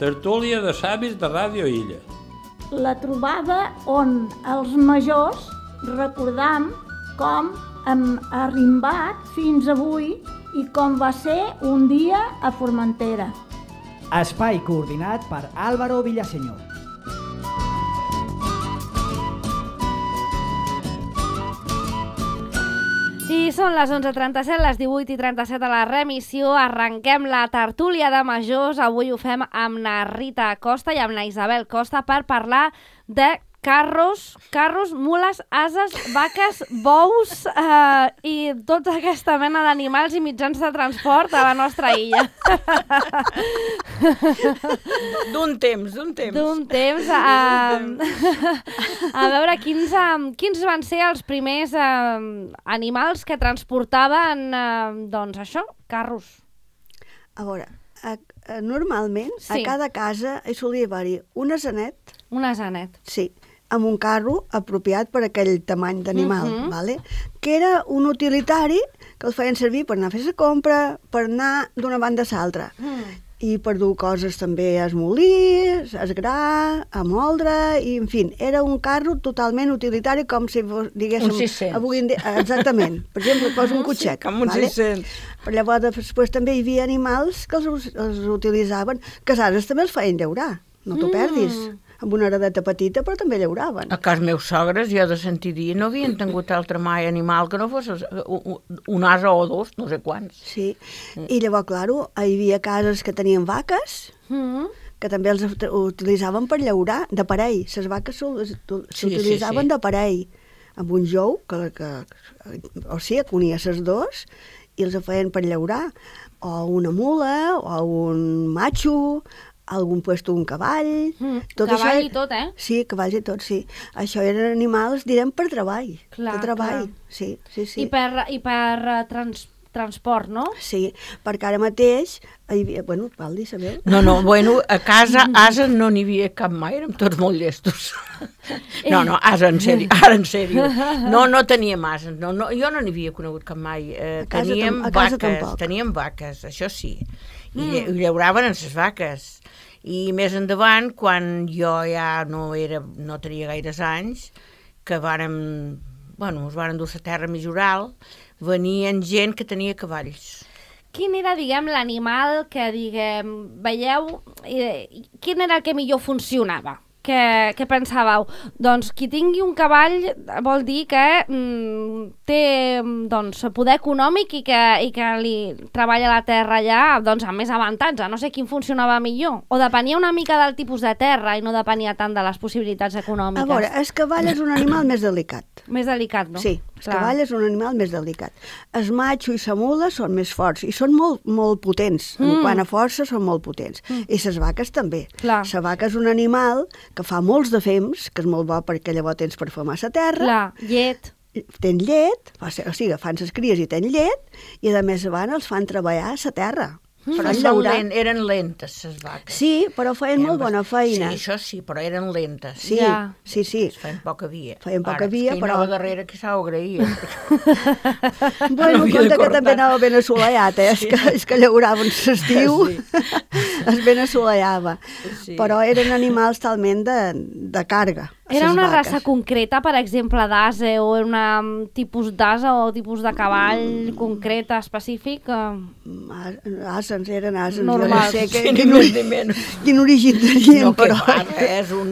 Tertúlia de savis de Ràdio Illa. La trobada on els majors recordam com hem arrimbat fins avui i com va ser un dia a Formentera. Espai coordinat per Álvaro Villaseñor. I són les 11:37, les 18:37 a la remissió. Arrenquem la tertúlia de majors. Avui ho fem amb na Rita Costa i amb na Isabel Costa per parlar de carros, mules, ases, vaques, bous i tota aquesta mena d'animals i mitjans de transport a la nostra illa. D'un temps. A veure, quins van ser els primers animals que transportaven, doncs això, carros? A veure, normalment Sí. a cada casa hi solia haver-hi un asenet, Un asenet. sí, amb un carro apropiat per aquell tamany d'animal, vale? Que era un utilitari que el feien servir per anar a fer la compra, per anar d'una banda a l'altra. I per dur coses també a esmolir, a esgrar, a moldre, i en fi, era un carro totalment utilitari, com si diguéssim... Un 600. Avui en dia, exactament. Per exemple, posa un cotxet. Com un vale? 600. Però llavors després també hi havia animals que els utilitzaven, que a ases també els feien llaurar, no t'ho perdis. Amb una heredeta petita, però també llauraven. A cas meus sogres, jo de sentir dir, no havien tingut altre mai animal que no fos un ase o dos, no sé quants. Sí, i llavors, claro, hi havia cases que tenien vaques, que també els utilitzaven per llaurar, de parell. Les vaques s'utilitzaven de parell, amb un jou, o sigui, que unia les dos, i els feien per llaurar, o una mula, o un macho, algun puesto un cavall... Cavall i tot, eh? Sí, cavalls i tot, sí. Això eren animals, direm, per treball. Clar, per treball, clar. sí. I per transport, no? Sí, perquè ara mateix... Hi havia, bueno, Valdi, sabeu? No, bueno, a casa ases no n'hi havia cap mai, érem tots molt llestos. No, ase, en sèrio, ara en sèrio. No teníem ases, jo no n'hi havia conegut cap mai. Teníem vaques, això sí. I llauraven en les vaques. I més endavant, quan jo ja no tenia gaires anys, que es varen dur a la terra més oral, venien gent que tenia cavalls. Quin era, diguem, l'animal que, veieu, quin era el que millor funcionava? Què pensàveu? Doncs qui tingui un cavall vol dir que té poder econòmic i que li treballa la terra allà amb més avantatge. No sé quin funcionava millor. O depenia una mica del tipus de terra i no depenia tant de les possibilitats econòmiques. A veure, el cavall és un animal més delicat. Més delicat, no? Sí, el cavall és un animal més delicat. El matxo i la mula són més forts i són molt, molt potents. En quant a força són molt potents. I les vaques també. Clar. La vaca és un animal que fa molts de fems, que és molt bo perquè llavors tens per femar la terra. Clar, llet. Tens llet, o sigui, fan les cries i tens llet, i a més abans els fan treballar a la terra. Però eren lentes, les vaques. Sí, però feien molt bona feina. Sí, això sí, però eren lentes. Sí. Feien poca via. Però... Ara, darrere que s'ho agraïa. Bueno, compte que també anava ben assolellat, és que llauraven l'estiu, es ben assolellava. Però eren animals talment de carga. Era una raça concreta, per exemple, d'ase, o un tipus d'ase o tipus de cavall concret, específic? Ases, eren ases. Normals. Jo no sé quin origen tenien, però... És un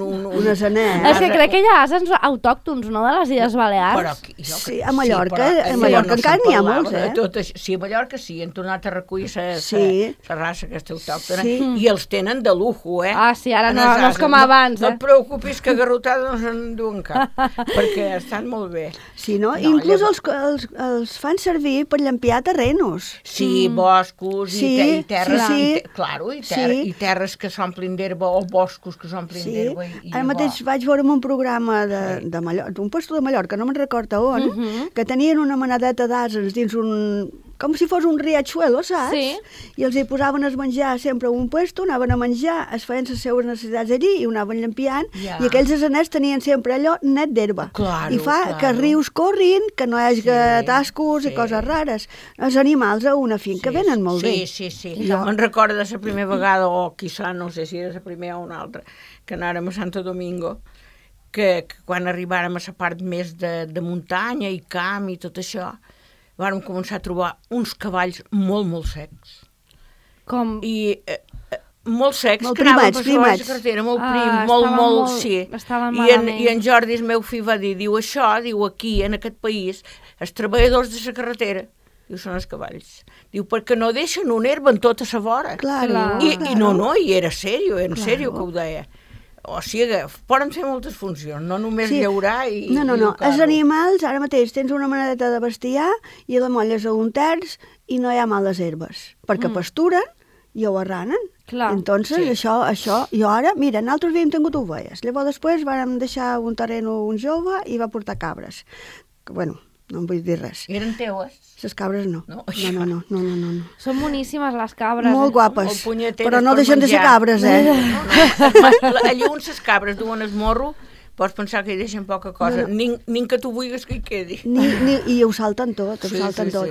asenet. És que crec que hi ha ases autòctons, no?, de les Illes Balears. Sí, a Mallorca encara n'hi ha molts, eh? Sí, a Mallorca sí, han tornat a recollir la raça aquesta autòctona, i els tenen de lujo, eh? Ah, sí, ara no és com abans, No et preocupis que garrotada no se'n duen cap, perquè estan molt bé. Sí, no? Inclús els fan servir per llampiar terrenos. Sí, boscos i terres, i terres que s'omplin d'herba o boscos que s'omplin d'herba. Ara mateix vaig veure un programa d'un puesto de Mallorca, no me'n recordo on, que tenien una manadeta d'ases dins com si fos un riachuelo, saps? Sí. I els hi posaven a menjar sempre a un puesto, anaven a menjar, es feien les seues necessitats allí i ho anaven llampiant, Ja. i aquells asenets tenien sempre allò net d'herba. Claro, I fa que claro. rius corrin, que no hi hagi tascos sí. i coses rares. Els animals a una finca venen molt bé. Sí. Jo me'n recordo de la primera vegada, o quizà, no sé si era la primera o una altra, que anàrem a Santo Domingo, que quan arribàrem a la part més de muntanya i camp i tot això, vàrem començar a trobar uns cavalls molt secs. Com... I molt secs, Molt que anaven primats, per sobre la primats. carretera, molt Ah, prims, estaven molt- sí. estaven I malament. en Jordi, el meu fill, va dir, diu, això, diu, aquí, en aquest país, els treballadors de la carretera, diu, són els cavalls. Diu, perquè no deixen una herba en tota la vora. Claro, I no, i era sèrio, que ho deia. O sigui, poden fer moltes funcions, no només llaurar i... No. i educar-lo. Els animals, ara mateix tens una manadeta de bestiar i la molles a un terç i no hi ha males herbes, perquè pasturen i ho arranen. Clar. Entonces, això, jo ara, mira, nosaltres havíem tingut ovelles, llavors després vàrem deixar un terreno un jove i va portar cabres. Que, bueno, no em vull dir res. Eren teues? Les cabres no. No. No. Són boníssimes les cabres. Molt O guapes, punyeteres però no per deixen de ser menjar. cabres, Allà on les cabres duen el morro, pots pensar que hi deixen poca cosa. Nin que tu vulguis que hi quedi. I ho salten tot, ho salten tot.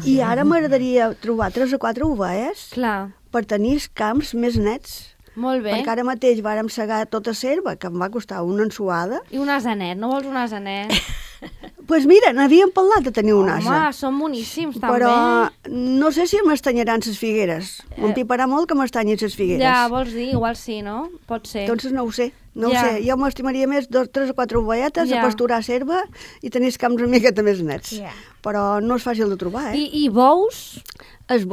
I ara m'agradaria trobar 3 o 4 ovelles Clar, per tenir els camps més nets. molt bé. Perquè ara mateix vàrem segar tota serva, que em va costar una ensuada. I un asenet, no vols un asenet? Doncs pues mira, n'havíem parlat de tenir un ase. Home, són boníssims, també. Però no sé si m'estanyaran les figueres. M'empiparà molt que m'estanyin les figueres. Ja, vols dir, igual sí, no? Pot ser. Entonces no ho sé, no Ja. ho sé. Jo m'estimaria més 3 o 4 ovelletes Ja. a pasturar serva i tenir els camps una miqueta més nets. Ja. Però no és fàcil de trobar, I bous? Els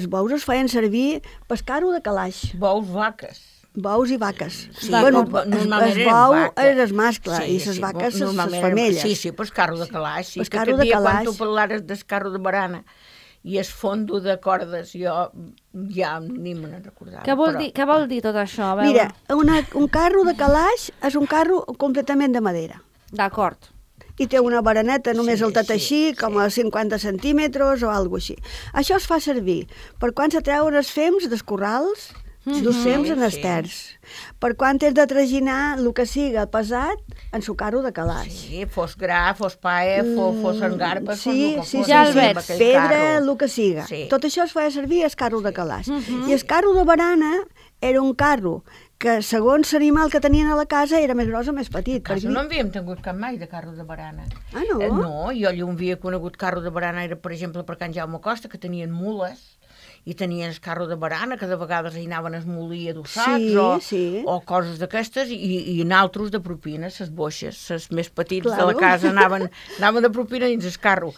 bous es feien servir pescar-ho de calaix. Bous, vaques. Bous i vaques. Sí, Bueno, normalment el eren bou vaques. és el mascle i les vaques les normalment femelles. Sí, pues carro de calaix. Sí, Pues que carro aquest de dia, quan calaix. tu parlares del carro de barana i el fondo de cordes, jo ja ni me n'en recordava. Què vol dir tot això? A veure. Mira, un carro de calaix és un carro completament de madera. D'acord. I té una baraneta només Sí, al tot sí, així, com a 50 centímetres o alguna així. Això es fa servir per quan se treuen els fems dels corrals, dos fems en els sí. terç. Per quan has de traginar el que siga pesat, ensucar-ho de calaix. Sí, fos gra, fos paia, fos engarpes, Sí, fos sí, el que fos. ja el sí, veig. amb aquell Pedra, carro. el que siga. Sí. Tot això es feia servir el carro de calaix. I el carro de barana era un carro que, segons l'animal que tenien a la casa, era més gros o més petit. A casa perquè- no havíem tingut cap mai de carro de barana. Ah, no? No, jo allà on havia conegut carro de barana era, per exemple, per Can Jaume Costa, que tenien mules, i tenien el carro de barana, que de vegades hi anaven a esmolir adossats, Sí. o coses d'aquestes, i naltros de propina, les boixes, les més petits de Claro. la casa anaven de propina dins el carro.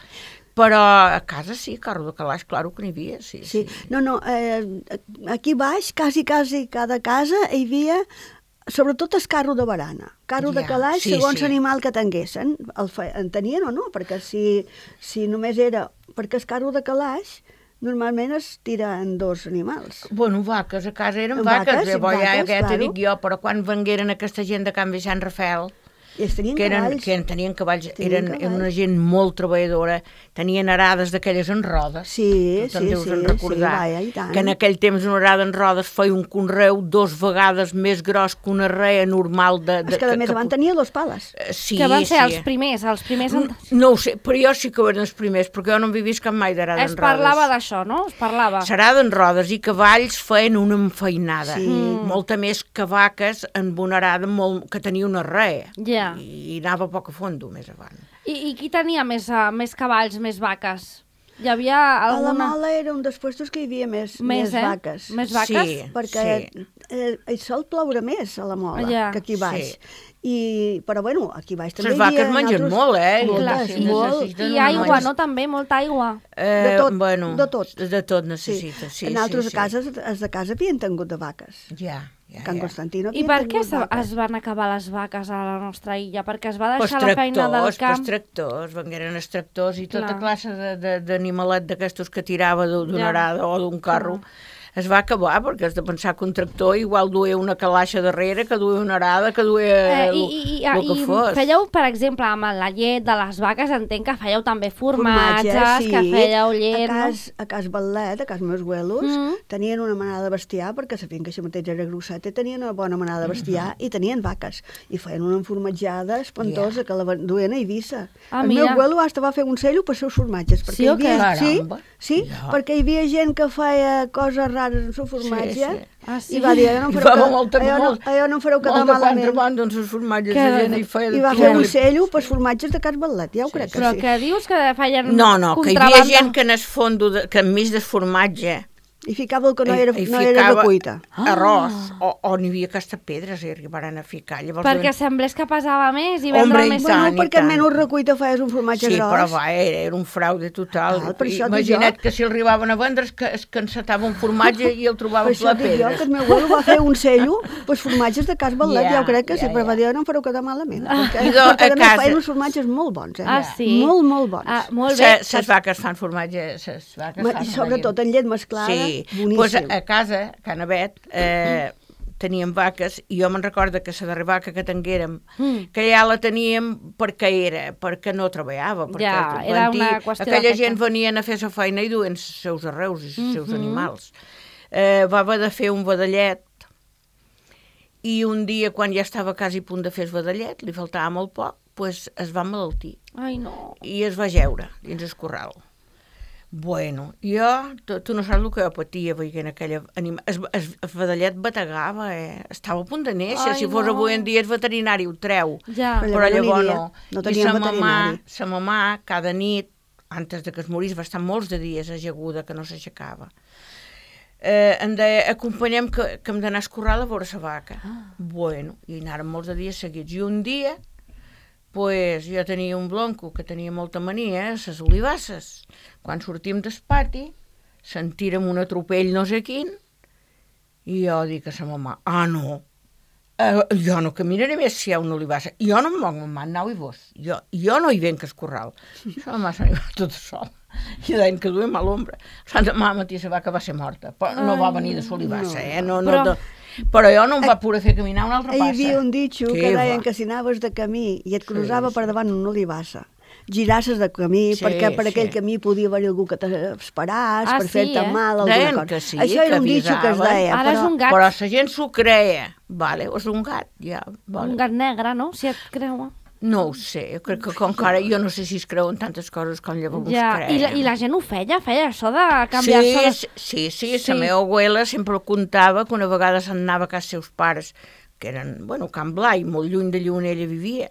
Però a casa sí, carro de calaix, claro que n'hi havia, sí. Sí. No, aquí baix, quasi cada casa hi havia sobretot el carro de barana. Carro de Ja, calaix, sí, segons sí. l'animal que tinguessin. En tenien o no? Perquè si només era... Perquè el carro de calaix normalment es tira en 2 animals. Bueno, vaques, a casa eren Vaques, vaques, ja vaques, t'he claro. dit jo, però quan vengueren aquesta gent de Can Vicent Rafel, I es tenien que cavalls. tenien cavalls, Tenien eren cavalls. una gent molt treballadora, tenien arades d'aquelles en rodes. Sí, Tu te'n deus en sí, recordar, vaja, i tant. que en aquell temps una arada en rodes feia un conreu 2 vegades més gros que una rea normal de... És que a més van tenir 2 pales. Sí, Que van ser sí. els primers. No ho sé, però jo sí que ho eren els primers, perquè jo no he vist cap mai d'arada en Es rodes. parlava d'això, no? Es parlava. S'arada en rodes i cavalls feien una enfeinada. Sí. Molta més que vaques amb una arada que tenia una rea. Ja. I anava poc a fondo més avant. I qui tenia més cavalls, més vaques? Hi havia A la alguna... Mola era un dels puestos que hi havia més vaques. Més vaques? Sí. Perquè hi sol ploure més a la Mola Ja. que aquí baix. Sí. Però bueno, aquí baix també Les hi havia... vaques mengen molt, eh? Clar, Moltes, i, molt. I aigua, no? També, molta aigua. De tot, bueno, de tot. De tot Sí. necessita, sí. Nosaltres sí, a casa, els de casa havien tingut de vaques. Ja. Can Constantino I havia per què tingut vaques. es van acabar les vaques a la nostra illa? Perquè es va Pues deixar la feina del camp? Pues tractors, vengueren els tractors i tota Clar. classe d'animalet d'aquestos que tirava d'una Ja. arada o d'un carro. es va acabar, perquè has de pensar que un tractor igual duia una calaixa darrere, que duia una arada, que duia el que fos. I fèieu, per exemple, amb la llet de les vaques, entenc que fèieu també formatges, sí. que fèieu llet, A cas Batlet, a cas meus abuelos, tenien una manada de bestiar, perquè sabien que això mateix era grosset, i tenien una bona manada de bestiar, i tenien vaques, i feien una formatjada espantosa, que la duien a Eivissa. El meu abuelo hasta va fer un cello per seus formatges, perquè sí o què? Sí, perquè hi havia gent que feia coses rares amb el formatge, sí. i va dir, allò no em fareu quedar malament. Doncs els formatges de gent hi feia... I va fer un cello pels formatges de Cas Batlet, ja ho crec que sí. Però que dius que feien No, que hi havia gent que en el fondo, que enmig del formatge i ficava el que no era de cuita. Arròs, o n'hi havia aquesta pedres i arribaren a ficar. Llavors, perquè semblés que pesava més i vendre més. Bueno, perquè menys recuita feies un formatge gros. Sí, però va, era un fraude total. Imagina't que si el arribaven a vendre es cansatava un formatge i el trobaven ple pedres. Per això que el meu abuelo va fer un cello pels formatges de Cas Batlet, ja ho crec que sí, però va dir, no em fareu quedar malament. Perquè a més feien uns formatges molt bons, sí? Molt, molt bons. Molt bé. Les vaques fan formatge, sobretot en llet mesclada. Pues a casa, a Can Avet, teníem vaques i jo me'n recordo que la darrera vaca que tinguérem, que ja la teníem perquè no treballava. Ja, era una qüestió aquella gent venien a fer la feina i duen els seus arreus i els seus animals. Va haver de fer un vedallet i un dia, quan ja estava quasi a punt de fer el vedallet, li faltava molt poc, pues es va malaltir. Ai, no. I es va jeure dins el corral. Bueno, jo, tu no saps el que jo patia veient aquella animal. El vedallet bategava, estava a punt de néixer. Si fos avui en dia el veterinari ho treu. Ja. Però llavors no. No teníem veterinari. Sa mamà, cada nit, antes de que es morís, va estar molts de dies ajaguda, que no s'aixecava. Em deia, acompanyem que hem d'anar a escorrar a veure la vaca. Bueno, i anàrem molts de dies seguits. I un dia, pues, jo tenia un blonco que tenia molta mania, les olivasses. Quan sortim del pati, sentirem un atropell no sé quin, i jo dic a sa mamà, no, jo no caminaré més si hi ha una olivassa. Jo no em moc, mamà, anau i vos. Jo no hi venc al corral. Sa mamà se n'hi va tota sola. I deien que duia mal ombra. Sant demà matí la vaca va ser morta, però no va venir de l'olivassa, Però jo no em va poder fer caminar una altra passa. Hi havia un ditxo que deien que si anaves de camí i et cruzava per davant una olivassa, girasses de camí, perquè per aquell camí podia haver algú que t'esperàs per fer-te mal. Deien que sí, això era un ditxo que es deia. Ara és un gat. Però la gent s'ho creia. Vale, és un gat, ja. Un gat negre, no? Si et creuen. No ho sé, jo crec que com que ara jo no sé si es creuen tantes coses com llavors es creien. I la gent ho feia això de canviar-se... Sí, la meva abuela sempre ho contava, que una vegada se'n anava a casa seus pares, que eren, Can Blai, molt lluny d'allà on ella vivia,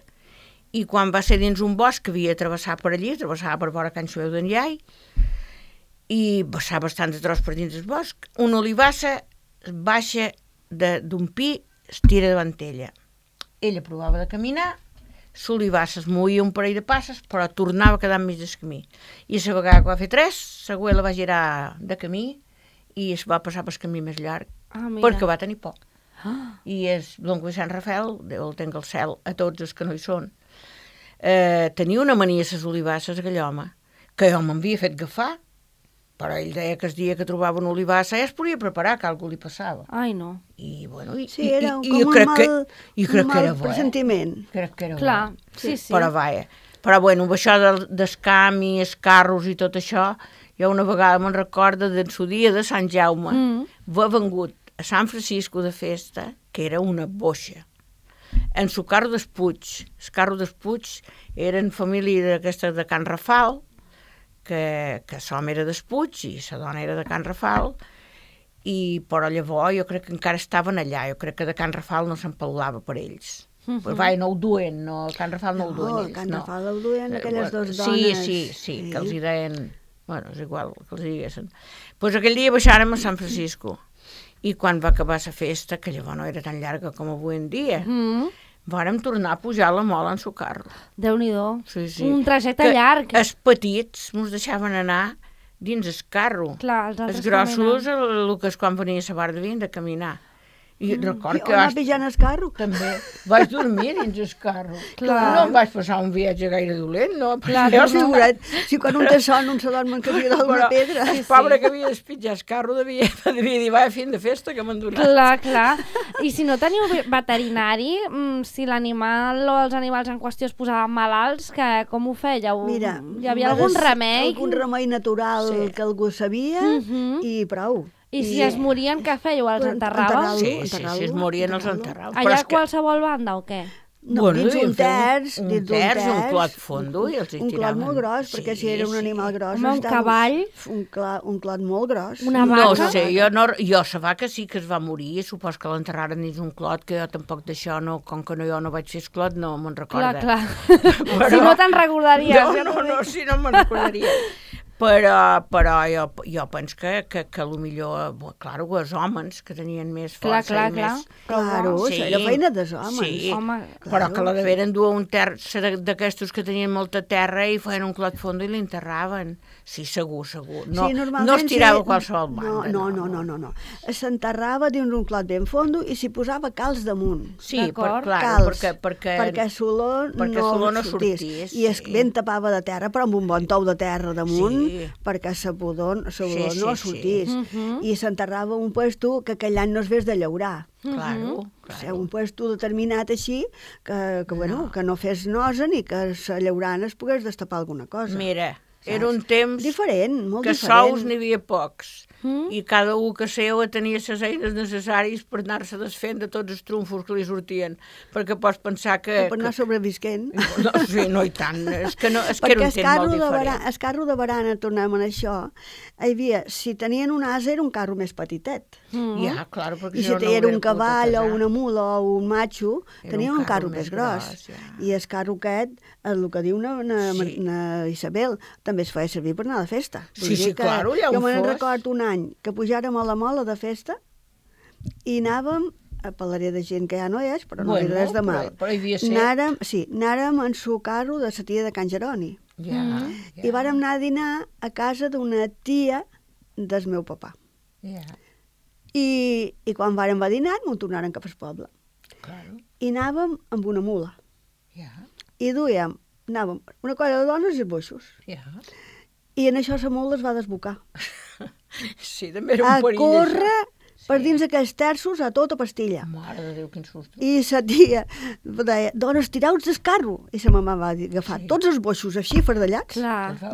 i quan va ser dins un bosc que havia de travessar per allí, travessava per vora Can Xueu d'en Iai, i passava bastant de tros per dins del bosc, una olivassa baixa d'un pi, es tira davant ella. Ella provava de caminar, l'olivassa es movia un parell de passes, però tornava a quedar enmig del camí. I la vegada que va fer 3, l'abuela va girar de camí i es va passar pel camí més llarg, perquè va tenir por. I és Don Sant Rafael, Déu el tenga al cel, a tots els que no hi són. Tenia una mania a les olivasses, aquell home, que jo m'havia fet agafar, però ell deia que el dia que trobava una olivassa ja es podia preparar, que algú li passava. Ai, no. I, sí, era com un mal pressentiment. Crec que era bo. Clar, sí. Però vaja. Però, això del camp i els carros i tot això, jo una vegada me'n recordo del seu dia de Sant Jaume, va vengut a Sant Francisco de festa, que era una boixa. En su carro dels Puig. El carro dels Puig eren família d'aquesta de Can Rafal, que l'home era dels Puig i la dona era de Can Rafal, però llavors jo crec que encara estaven allà, jo crec que de Can Rafal no se'n parlava per ells. Però no ho duen, Can Rafal no ho duen ells. Can Rafal ho duen aquelles dues dones. Sí, que els hi deien, és igual que els diguessin. Doncs aquell dia baixàrem a Sant Francisco i quan va acabar la festa, que llavors no era tan llarga com avui en dia, vàrem tornar a pujar la mola en su carro. Déu-n'hi-do. Sí. Un trajecte llarg. Els petits mos deixaven anar dins el carro. Clar, els grossos, el que és quan venia la barra, havien de caminar. I record que O anar pijant el carro. també vaig dormir dins el carro. Clar. No em vaig passar un viatge gaire dolent, no? Clar, Jo figurat, si quan un té son, un se dorm en cadira d'una pedra. El pobre que havia d'espitjar el carro devia dir, va, fin de festa, que m'han donat. Clar. I si no teniu veterinari, si l'animal o els animals en qüestió es posaven malalts, com ho fèieu? Mira, Hi havia algun remei? Algun remei natural que algú sabia i prou. I si es morien, què fèieu? Els enterràveu? Sí, si es morien els enterràveu. Allà a qualsevol banda o què? No, dins un terç, un clot fondo i els hi un tiraven. clot molt gros, perquè si era un animal gros... Home, un cavall? Un clot molt gros. Una No vaca? sé, jo la vaca sí que es va morir, supos que l'enterraren dins un clot, que jo tampoc d'això, com que jo no vaig fer esclot, no me'n recorda. Clar. Si no te'n recordaries. No, si no me'n recordaria. Però jo penso que potser, clar, els homes que tenien més força i més... Claro, era feina dels homes. Sí, Home, però que la deveren dur un terç d'aquestos que tenien molta terra i feien un clot fondo i l'enterraven. Sí, segur. No, sí, no es tirava a qualsevol banda. No. S'enterrava dins un clot ben fondo i s'hi posava calç damunt. Sí, clar, perquè l'olor no sortís. I es ben tapava de terra, però amb un bon tou de terra damunt, perquè la pudor no sortís. I s'enterrava un puesto que aquell any no es vés de llaurar. Claro. Un puesto determinat així que no fes nosa ni que la llaurana es pogués destapar alguna cosa. Mira, era un temps diferent, molt que diferent. sous n'hi havia pocs i cada un que seu tenia les eines necessàries per anar-se desfent de tots els trumfos que li sortien, perquè pots pensar que... Per anar sobrevisquent. No, i tant, és que era un temps molt diferent. El carro de barana, tornem a això, hi havia, si tenien un ase era un carro més petitet. Ja, clar, perquè I si era un cavall o una mula o un matxo, tenien un carro més gros. I el carro aquest, el que diu na Isabel, també es feia servir per anar a la festa. Sí, clar, allà on fos. Jo me'n recordo un any que pujàrem a la mola de festa i anàvem, parlaré de gent que ja no és, però no hi res de mal. Però hi havia ser. Anàrem en su carro de la tia de Can Jeroni. I vàrem anar a dinar a casa d'una tia del meu papà. I quan vàrem a dinar, m'ho tornaren cap al poble. I anàvem amb una mula. I anàvem una colla de dones i els boixos. I en això la mula es va desbocar. Sí, també era un perill. A córrer per dins aquells terços a tota pastilla. Mare de Déu, quin susto. I la tia deia, dones, tireu-vos del carro. I la mamà va agafar tots els boixos així, fardellats.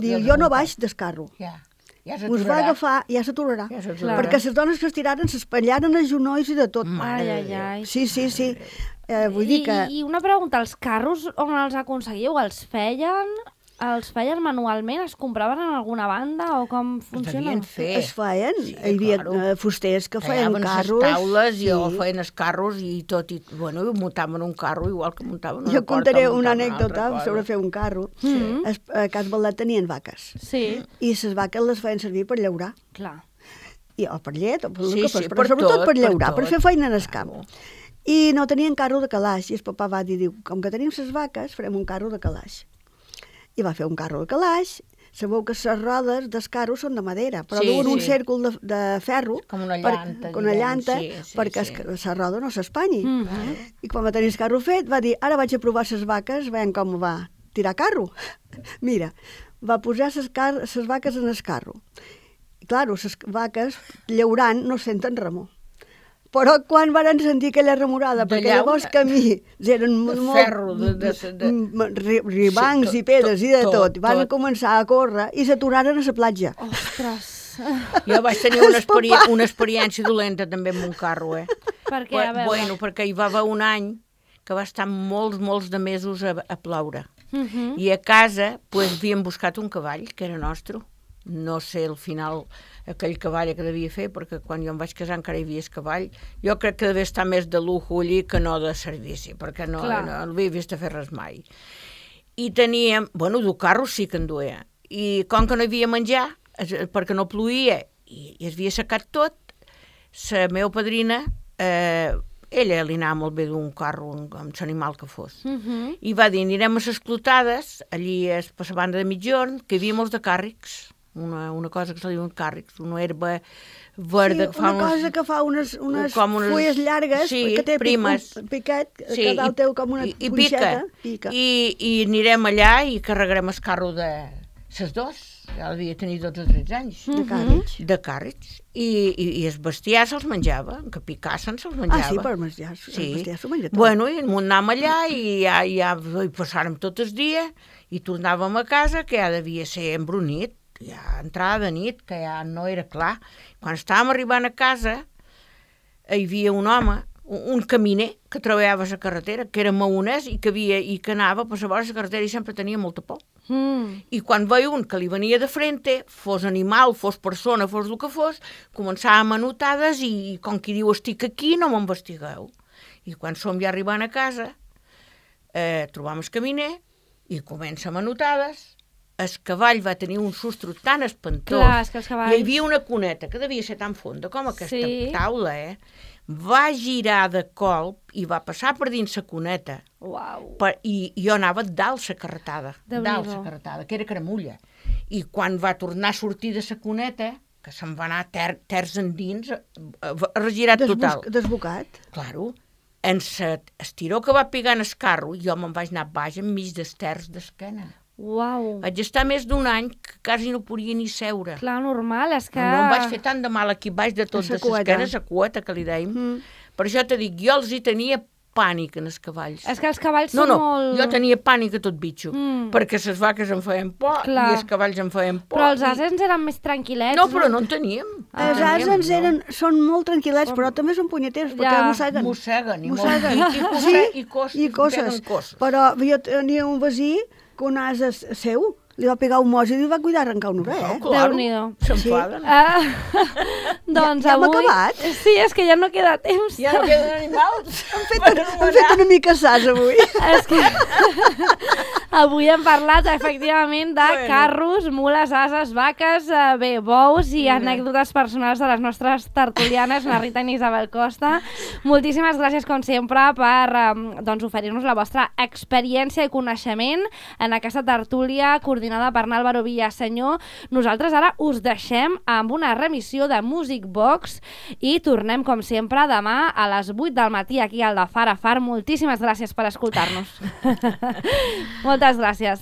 Diu, jo no baix del carro. Us va agafar, ja s'aturarà. Perquè les dones que es tiraren s'espatllaren els genolls i de tot. Ai. Sí. Vull dir que... I una pregunta, els carros on els aconseguiu? Els feien manualment? Es compraven en alguna banda o com funciona? Es feien. Hi havia fusters que feien carros. Les taules i feien els carros i tot. Muntaven un carro igual que muntaven una porta. Jo contaré una anècdota sobre fer un carro. A Cas Baldat tenien vaques. I les vaques les feien servir per llaurar. Clar. O per llet, o per el que fos, però sobretot per llaurar, per fer feina en el camp. I no tenien carro de calaix. I el papà va dir, com que tenim les vaques, farem un carro de calaix. I va fer un carro de calaix. Sabeu que les rodes del carro són de madera, però duen un cèrcol de ferro, com una llanta, perquè la roda no s'espanyi. I quan va tenir el carro fet, va dir, ara vaig a provar les vaques, veiem com va tirar carro. Mira, va posar les vaques en el carro. I, clar, les vaques llaurant no senten remor. Però quan varen sentir aquella remorada, perquè llavors camí eren ribancs i pedres i de tot, van començar a córrer i s'aturaren a la platja. Ostres! Jo vaig tenir una experiència dolenta també amb un carro, Per què? A veure. Bueno, perquè hi va haver un any que va estar molts de mesos a ploure. I a casa havíem buscat un cavall, que era nostre. No sé al final aquell cavall que devia fer, perquè quan jo em vaig casar encara hi havia el cavall. Jo crec que devia estar més de lujo allí que no de servici, perquè no l'havia vist a fer res mai. I teníem, dur carros sí que en duia. I com que no hi havia menjar, perquè no ploïa i es havia secat tot, la meva padrina, ella li anava molt bé d'un carro amb l'animal que fos. I va dir, anirem a les clotades, allí per la banda de mitjorn, que hi havia molts de càrrecs. una cosa que se diuen càrrecs, una herba verda. Sí, una cosa que fa unes fulles llargues, que té primes. piquet, que dalt té com una punxeta. Pica. I anirem allà i carregarem el carro de ses dos, ja devia tenir 12 o 13 anys. De càrrecs. I el bestiar se'ls menjava, que picassen se'ls menjava. Sí, per menjar, el bestiar s'ho menja tot. Bueno, i anàvem allà i ja hi passàrem tot el dia i tornàvem a casa, que ja devia ser embrunit, ja entrada de nit, que ja no era clar. Quan estàvem arribant a casa, hi havia un home, un caminer, que treballava a la carretera, que era maonès i que anava per la carretera i sempre tenia molta por. I quan veia un que li venia de frente, fos animal, fos persona, fos el que fos, començava a manotades i com qui diu estic aquí, no m'investigueu. I quan som ja arribant a casa, trobam el caminer i comença a manotades. El cavall va tenir un sustro tan espantós. Clar, és que els cavalls... Hi havia una cuneta que devia ser tan fonda com aquesta taula, va girar de colp i va passar per dins la cuneta. Uau. I jo anava dalt la carretada, que era caramulla. I quan va tornar a sortir de la cuneta, que se'n va anar terç endins, regirat total. Desbocat. Claro. En l'estiró que va pegar en el carro, jo me'n vaig anar baix enmig dels terç d'esquena. Uau. Vaig estar més d'un any que quasi no podia ni seure. Clar, normal, és que... No em vaig fer tant de mal aquí baix de tot de l'esquena, la cueta que li dèiem. Per això te dic, jo els hi tenia pànic en els cavalls. És que els cavalls són molt... Jo tenia pànic a tot bitxo, perquè les vaques em feien por i els cavalls em feien por. Però els asens eren més tranquil·lets. No, però no en teníem. Els asens són molt tranquil·lets, però també són punyeters, perquè mosseguen. Mosseguen, i coses. Però jo tenia un veí que un ase seu li va pegar un mos i li va cuidar arrencar un orell, Déu-n'hi-do. S'enfaden. Doncs ja hem avui... acabat? Sí, és que ja no queda temps. Ja no queden animals. Hem fet una mica sas avui. És que avui hem parlat efectivament de carros, mules, ases, vaques, bous i anècdotes personals de les nostres tertulianes, la Rita i Isabel Costa. Moltíssimes gràcies, com sempre, per oferir-nos la vostra experiència i coneixement en aquesta tertúlia coordinada per Álvaro Villaseñor. Nosaltres ara us deixem amb una remissió de Music Box i tornem, com sempre, demà a les 8 del matí aquí al de Far a Far. Moltíssimes gràcies per escoltar-nos. Moltes gràcies.